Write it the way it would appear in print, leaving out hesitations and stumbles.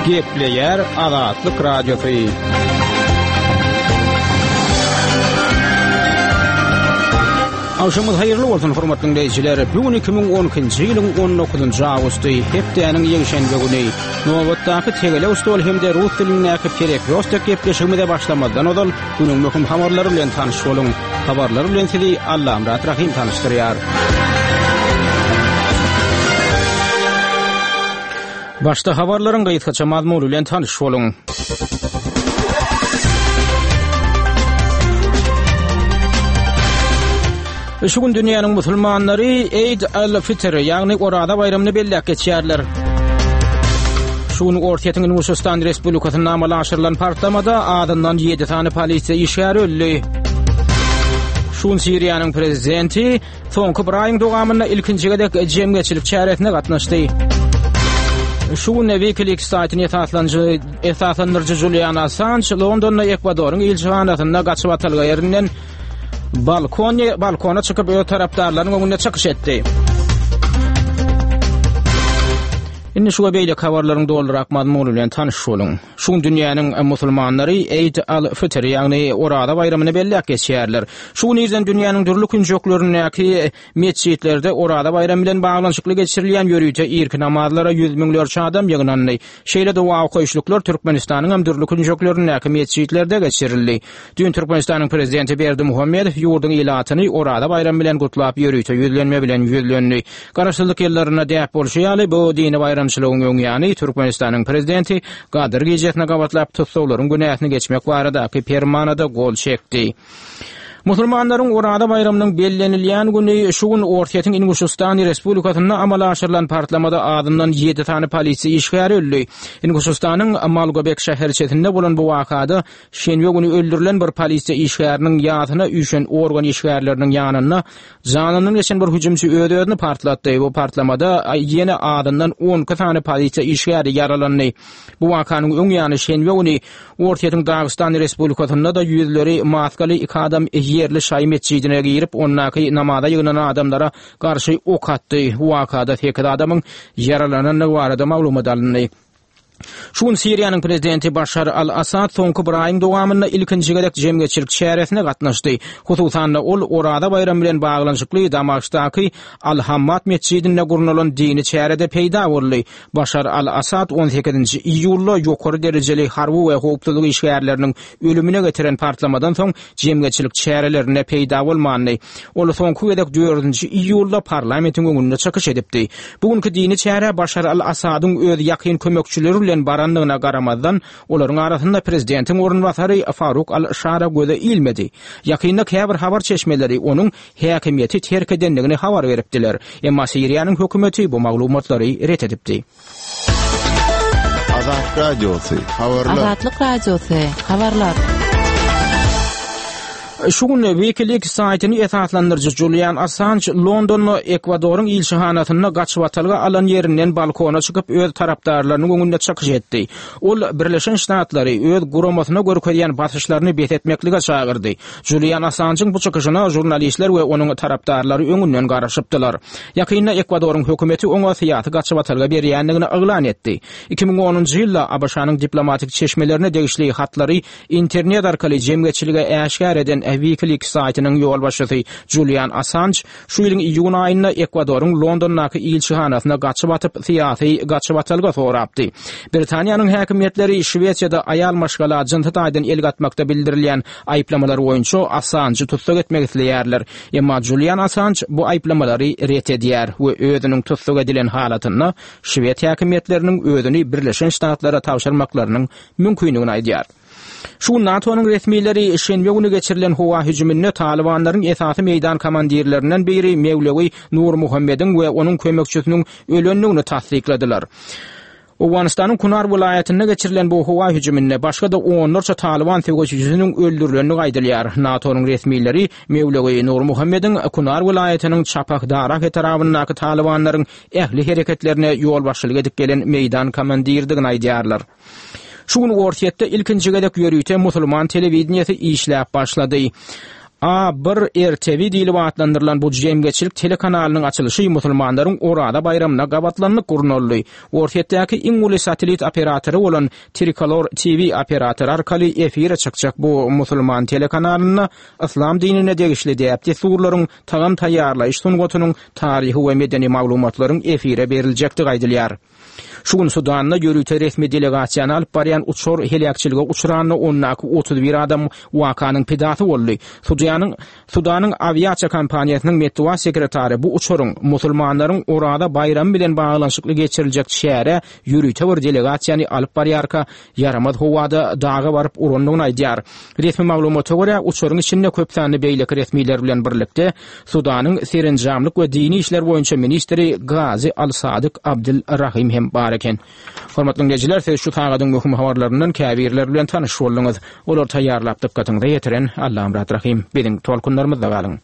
Gepleýär Azatlyk Radiosy. Agşamyňyz haýyrly bolsun, hormatly diňleýjiler. Bu gün 2012-nji ýylyň 19-njy awgusty, hepdäniň ýekşenbe güni. Nobatdaky tegelek stol hem-de rus dilindäki Perekrostok gepleşigimize başlamazdan ozal, günüň möhüm habarlary bilen tanyş boluň. Habarlar bilen sizi Allamyrat Rahym tanyşdyrýar. Başda habarlaryň gysgaça mazmuny bilen tanyş boluň. Şu gün dünýäniň musulmanlary Eid al-Fitr, ýagny Oraza baýramyny belläp geçýärler. Şu gün Orsýetiň Inguşystan Respublikasynda amala aşyrylan partlamada azyndan 7 sany polisiýa işgäri öldi. Şu gün Siriýanyň prezidenti Soňky bir aýyň dowamynda ilkinji gezek jemgyýetçilik çäresine gatnaşdy. Şu gün WikiLeaks saýtyny esaslanjy esaslandyryjy Julian Assange Londonda Ekwadoryň ilçihanasynda gaçyp atalga ýerinden balkon balkona çykyp öz tarapdarlarynyň öňünde çykyş etdi. Indi şu we beýleki habarlaryň dolurak mazmuny bilen tanyş boluň. Şu gün dünýäniň musulmanlary Eid al-Fitr, ýagny Oraza baýramyny belläp geçýärler. Şu gün irden dünýäniň dürli künjeklerindäki metjitlerde Oraza baýramy bilen baglanyşykly geçirilýän ýörite irki namazlara ýüz müňlerçe adam ýygnandy. Şeýle doga okaýyşlyklar Türkmenistanyň hem dürli künjeklerindäki metjitlerde geçirildi. Düýn Türkmenistanyň Prezidenti Berdimuhamedow ýurduň ilatyny Oraza baýramy bilen gutlap ýörite ýüzlenme bilen ýüzlendi. Garaşsyzlyk ýyllarynda däp bolşy ýaly, bu dini baýramçylygyň öň ýany Türkmenistanyň Prezidenti Gadyr gijesine gabatlap tussaglaryň günäsini geçmek baradaky Permana-da gol çekdi. Musulmanlaryň Oraza baýramynyň bellenilýän güni şu gün Orsýetiň Inguşystan Respublikasynda amala aşyrylan partlamada azyndan ýedi sany polisiýa işgäri öldi. Inguşystanyň Malgobek şäherçesinde bolan bu wakada Şenbe güni öldürilen bir polisiýa işgäriniň ýasyna üýşen organ işgärleriniň ýanynda janyndan geçen bir hüjümçi öz-özüni partlatdy. Bu partlamada ýene azyndan 12 sany polisiýa işgäri ýaralandy. Bu wakanyň öň ýany şenbe güni Orsýetiň Dagystan Respublikasynda-da ýüzleri maskaly iki adam ýerli şaýy metjidine girip, ondaky namaza ýygnanan adamlara garşy ok atdy. Bu wakada sekiz adamyň ýaralanandygy barada maglumat alyndy. Şu gün Siriýanyň prezidenti Başar al-Assad soňky bir aýyň dowamynda ilkinji gezek jemgyýetçilik çäresine gatnaşdy. Hususan-da, ol Oraza baýramy bilen baglanyşykly Damaşkdaky Al-Hammad metjidinde gurnalan dini çärede peýda boldy. Başar al-Assad on sekizinji iýulda ýokary derejeli harby we howpsuzlyk işgärleriniň ölümine getiren partlamadan soň jemgyýetçilik çärelerinde peýda bolmandy. Ol soňky gezek dördünji iýulda parlamentiň öňünde çykyş edipdi. Bu günki dini çärä Başar al-Assadyň öz ýakyn kömekçileri bilen barandygyna garamazdan, olaryň arasynda prezidentiň orunbasary Faruk al-Şara göze ilmedi. Ýakynda käbir habar çeşmeleri onuň häkimiýeti terk edendigini habar beripdiler. Emma Siriýanyň hökümeti bu maglumatlary ret edipdi. Azat Radiosy, habarlar. Azatlyk Radiosy, habarlar. Şu gün WikiLeaks saýtyny esaslandyryjy Julian Assanj Londonda Ekwadoryň ilçihanasynda gaçybatalga alan ýerinden balkona çykyp öz tarapdarlarynyň öňünde çykyş etdi. Ol Birleşen Ştatlary öz guramasyna görkezýän basyşlaryny bes etmeklige çagyrdy. Julian Assanjyň bu çykyşyna žurnalistler we onuň tarapdarlary öňünden garaşypdylar. Ýakynda Ekwadoryň hökümeti oňa syýasy gaçybatalga berýändigini yglan etdi. 2010-njy ýylda ABŞ-nyň diplomatik çeşmelerine degişli hatlary internet arkaly jemgyýetçilige äşgär eden WikiLeaks saýtynyň ýolbaşçysy Julian Assanj şu ýylyň iýun aýynda Ekwadoryň Londondaky ilçihanasyna gaçyp atyp, syýasy gaçybatalga sorapdy. Britaniýanyň häkimiýetleri Şwesiýada aýal maşgala jynsy taýdan el gatmakda bildirilýän aýyplamalar boýunça Assanjy tussag etmek isleýärler. Emma Julian Assanj bu aýyplamalary ret edýär we özüniň tussag edilen halatynda şwed häkimiýetleriniň özüni Birleşen Ştatlara tabşyrmaklarynyň mümkindigini aýdýar. Şu gün NATO-nyň resmileri şenbe güni geçirilen howa hüjüminde talybanlaryň esasy meýdan komandirlerinden biri Mewlewi Nurmuhammediň we onuň kömekçisiniň ölendigini tassykladylar. Owganystanyň Kunar welaýatynda geçirilen bu howa hüjüminde başga-da onlarça talyban söweşijisiniň öldürilendigi aýdylýar. NATO-nyň resmileri Mewlewi Nurmuhammediň Kunar welaýatynyň Çapah Darah etrabyndaky talybanlaryň ähli hereketlerine ýolbaşçylyk edip gelen meýdan komandiridigini aýdýarlar. Şu gün Orsýetde ilkinji gezek ýörite musulman telewideniýesi işläp başlady. A bir RTV diýlip atlandyrylan bu jemgyýetçilik telekanalynyň açylyşy musulmanlaryň Oraza baýramyna gabatlanyp gurnaldy. Orsýetdäki iň uly satellit operatory bolan Trikolor TV operatory arkaly efire çykjak bu musulman telekanalynda yslam dinine degişli däp-dessurlaryň, tagam taýýarlaýyş sungatynyň, taryhy we medeni maglumatlaryň efire beriljekdigi aýdylýar. Şu gün Sudanda ýörite resmi delegasiýany alyp barýan uçar heläkçilige uçranda ondaky 31 adam wakanyň pidasy boldy. Sudanyň Sudanyň awiasiýa kompaniýasynyň metbugat sekretary bu uçaryň musulmanlaryň Oraza baýramy bilen baglanyşykly geçiriljek çärä ýörite bir delegasiýany alyp barýarka ýaramaz howada daga baryp urandygyny aýdýar. Resmi maglumata görä, uçaryň içinde köp sanly beýleki resmiler bilen birlikde Sudanyň serenjamlyk we dini işler boýunça ministri Gazi Al-Sadyk Abdyl Rahim hem bar eken. Hormatly diňleýjiler, siz şu sagadyň möhüm habarlaryndan käbirleri bilen tanyş bolduňyz. Olary taýýarlap dykgatyňyza ýetiren Allamyrat Rahym. Biziň tolkunlarymyzda galyň.